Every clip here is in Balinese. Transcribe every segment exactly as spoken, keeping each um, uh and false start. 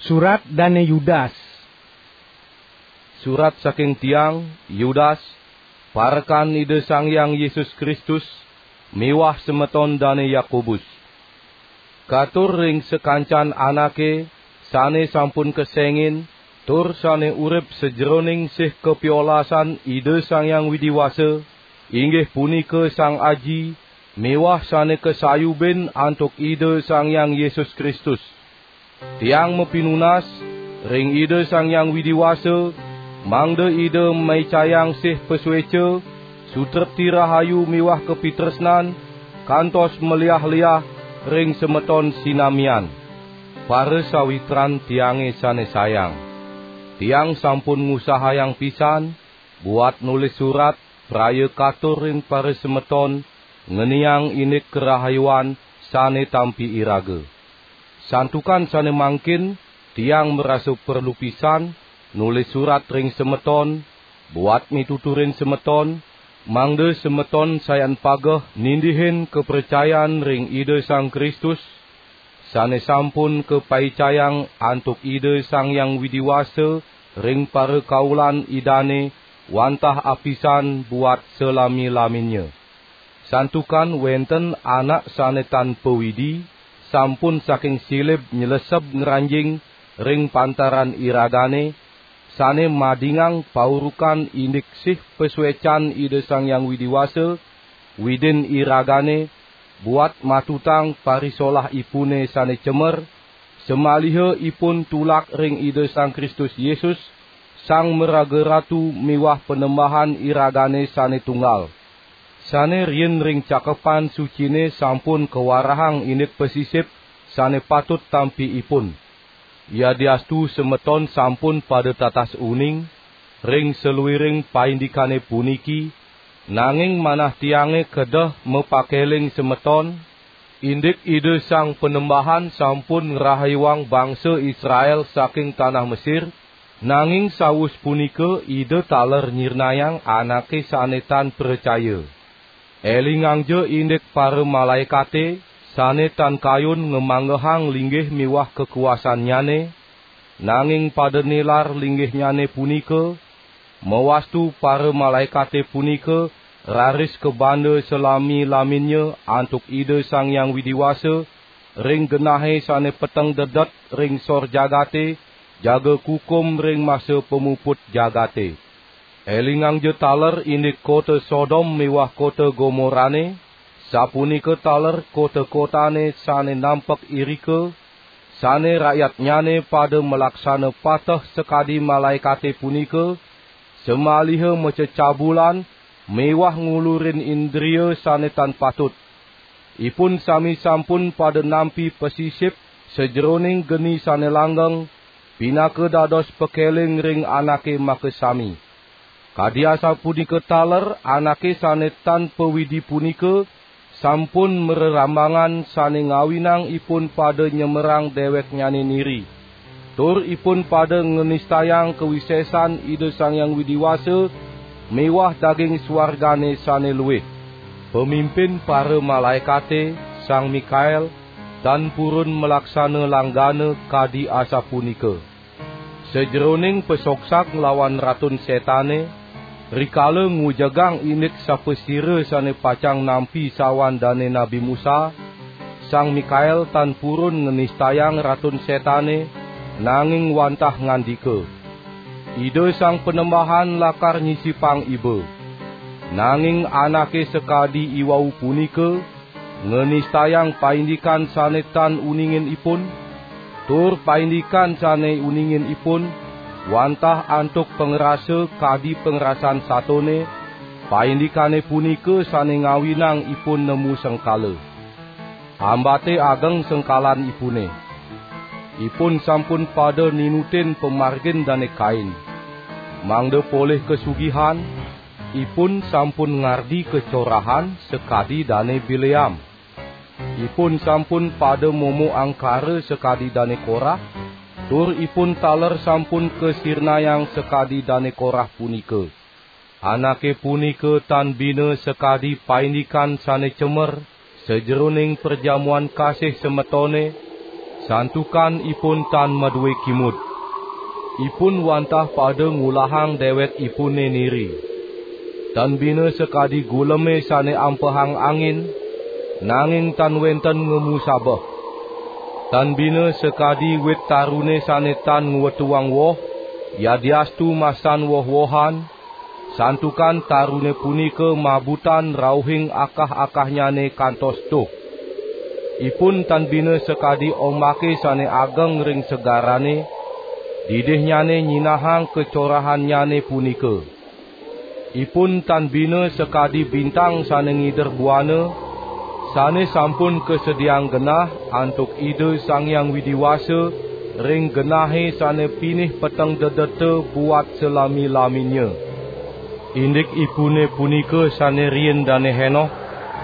Surat dane Yudas. Surat saking tiang, Yudas, parekan Ida Sang Hyang Yesus Kristus, miwah semeton dane Yakobus. Katur ring sakancan anake sane sampun kesengin, tur sane urip sajeroning sih kapiolasan Ida Sang Hyang Widi Wasa, inggih punika Sang Aji, miwah sane kasayubin antuk Ida Sang Hyang Yesus Kristus. Tiang mapinunas ring Ida Sang Hyang Widi Wasa, mangda Ida maicayang sih pasueca, sutrepti rahayu miwah kapitresnan, kantos maliah-liah ring semeton sinamian. Para sawitran tiange sane sayang. Tiang sampun ngusahayang pisan buat nulis surat praya katur ring para semeton ngeniang indik karahayuan sane tampi iraga. Santukan sane mangkin tiang marasa perlu pisan nulis surat ring semeton, buat mituturin semeton, mangda semeton sayan pageh nindihin kapracayan ring Ida Sang Kristus, sane sampun kapaicayang antuk Ida Sang Hyang Widi Wasa ring parakaulan Idane wantah apisan buat salami-laminnya. Santukan wenten anak sane tan pawidi, sampun saking silib nyleseb ngranjing ring pantaran iragane, sane madingang paurukan indik sih pasuecan Ida Sang Hyang Widi Wasa, Widin iragane, buat matutang parisolahipune sane cemer, samaliha ipun tulak ring Ida Sang Kristus Yesus, Sang Maraga Ratu miwah Panembahan iragane sane tunggal. Sane riin ring Cakepan Sucine sampun kawarahang indik pasisip sane patut tampi ipun. Yadiastu semeton sampun pada tatas uning ring saluiring paindikane puniki, nanging manah tiange kedeh mapakeling semeton, indik Ida Sang Panembahan sampun ngrahayuang bangsa Israel saking tanah Mesir, nanging sawus punika Ida taler nyirnayang anake sane tan pracaya. Elingangja indik paramalaekate sane tan kayun ngamanggehang linggih miwah kakuasannyane, nanging pada nilar linggihnyane punika, mawastu paramalaekate punika raris kabanda salami-laminnya antuk Ida Sang Hyang Widi Wasa ring genahe sane peteng dedet ring sor jagate, jaga kukum ring masa pamuput jagate. Elingangja taler indik kota Sodom miwah kota Gomorane, sapunika taler kota-kotane sane nampek irika, sane rakyatnyane pada malaksana pateh sakadi malaekate punika, samaliha macecabulan miwah ngulurin indria sane tan patut. Ipun sami sampun pada nampi pasisip sajeroning geni sane langgeng, pinaka dados pakeling ring anake makasami. Kadi asapunika taler anake sane tan pawidi punika sampun mrerambangan sane ngawinang ipun pada nyemerang deweknyane niri, tur ipun pada nganistayang kawisesan Ida Sang Hyang Widi Wasa miwah daging suargane sane luih. Pamimpin paramalaekate, Sang Mikael, tan purun malaksana langgana kadi asapunika. Sajeroning pasogsak nglawan Ratun Setane, rikala ngujegang indik sapasira sane pacang nampi sawan dane Nabi Musa, Sang Mikael tan purun nganistayang Ratun Setane, nanging wantah ngandika, "Ida Sang Panembahan lakar nyisipang iba." Nanging anake sakadi iwau punika nganistayang paindikan sane tan uningin ipun, tur paindikan sane uningin ipun, wantah antuk pangrasa kadi pangrasan satone, paindikane punika sane ngawinang ipun nemu sengkala. Ambate ageng sengkalanipune. Ipun sampun pada ninutin pamargin Dane Kain. Mangda polih kasugihan, ipun sampun ngardi kacorahan sakadi Dane Bileam. Ipun sampun pada momo angkara sakadi Dane Korah, tur ipun taler sampun kasirnayang sakadi Dane Korah punika. Anake punika tan bina sakadi paindikan sane cemer sajeroning perjamuan kasih semetone, Santukan ipun tan madue kimud. Ipun wantah pada ngulahang dewekipune niri. Tan bina sakadi guleme sane ampehang angin, nanging tan wenten ngemu sabeh. Tan bina sakadi wit tarune sane tan ngwetuang woh, yadiastu masan woh-wohan, santukan tarune punika mabutan rauhing akah-akahnyane kantos tuh. Ipun tan bina sakadi ombake sane ageng ring segarane, didihnyane nyinahang kacorahannyane punika. Ipun tan bina sakadi bintang sane ngider buana, sane sampun kasediaang genah antuk Ida Sang Hyang Widi Wasa ring genahe sane pinih peteng dedeta buat salami-laminnya. Indikipune punika sane riin Dane Henoh,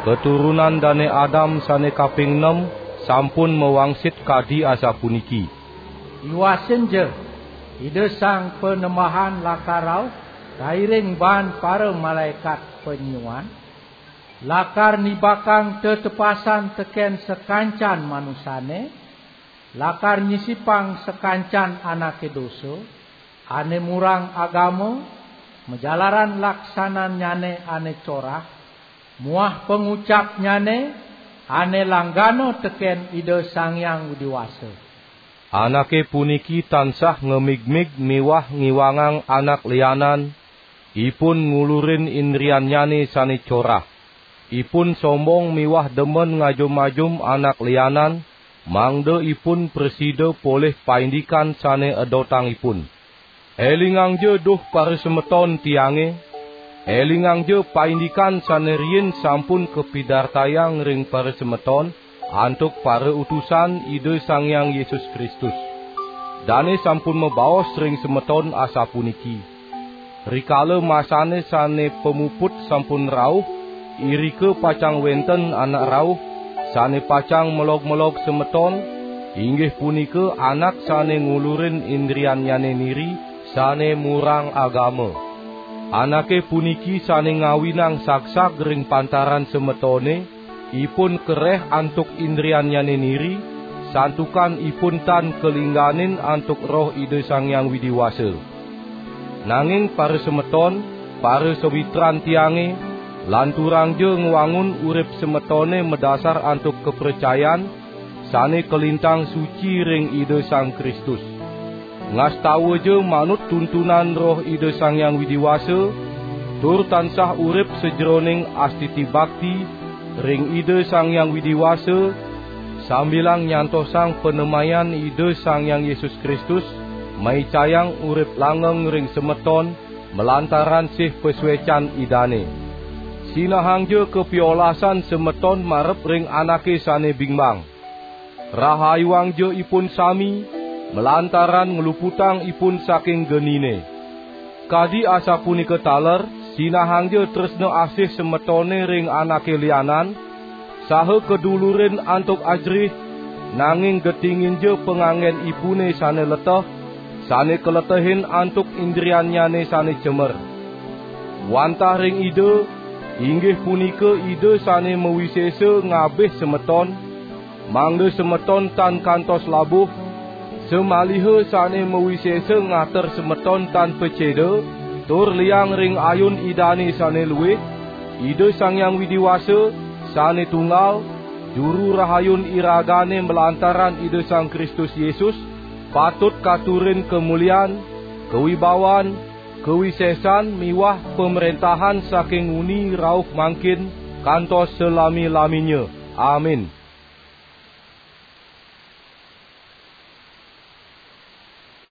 katurunan Dane Adam sane kaping nem, sampun mawangsit kadi asapuniki: Iwasinja, Ida Sang Panembahan lakar rauh kairing baan para malaekat panyiuan, lakar nibakang tetepasan teken sakancan manusane, lakar nyisipang sakancan anake dosa, ane murang agama, majalaran laksanannyane ane corah, muah pangucapnyane ane langgana teken Ida Sang Hyang Widi Wasa. Anake puniki tansah ngemigmig miwah ngiwangang anak lianan, ipun ngulurin indriannyane sane corah. Ipun sombong miwah demen ngajum-ajum anak lianan, mangda ipun prasida polih paindikan sane edotang ipun. Elingangja duh parasemeton tiange, elingangja paindikan sane riin sampun kapidartayang ring parasemeton antuk parautusan Ida Sang Hyang Yesus Kristus. Dane sampun mabaos ring semeton asapuniki: Rikala masane sane pamuput sampun rauh, irika pacang wenten anak rauh, sane pacang melog-melog semeton, inggih punika anak sane ngulurin indriannyane niri, sane murang agama. Anake puniki sane ngawinang sagsag ring pantaran semetone, ipun kereh antuk indriannyane niri, santukan ipun tan kalingganin antuk Roh Ida Sang Hyang Widi Wasa. Nanging parasemeton, parasawitran tiange, lanturangja ngwangun urip semetone madasar antuk kapracayan sane kalintang suci ring Ida Sang Kristus. Ngastawaja manut tuntunan Roh Ida Sang Hyang Widi Wasa, tur tansah urip sajeroning astiti bakti ring Ida Sang Hyang Widi Wasa, sambilang nyantosang panemayan Ida Sang Hyang Yesus Kristus, maicayang urip langgeng ring semeton malantaran sih pasuecan Idane. Sinahangja kapiolasan semeton marep ring anake sane bingbang. Rahayuangja ipun sami, malantaran ngluputang ipun saking genine. Kadi asapunika taler, sinahangja tresna asih semetone ring anake lianan, saha kadulurin antuk ajerih, nanging getinginja panganggenipune sane leteh, sane kaletehin antuk indriannyane sane cemer. Wantah ring Ida, inggih punika Ida sane mawisesa ngabih semeton, mangda semeton tan kantos labuh, samaliha sane mawisesa ngater semeton tan paceda, tur liang ring ayun Idane sane luih, Ida Sang Hyang Widi Wasa, sane tunggal, Juru Rahayun iragane malantaran Ida Sang Kristus Yesus, patut katurin kamulian, kawibawan, kawisesan miwah pamrentahan saking nguni rauh mangkin kantos salami-laminnya. Amin.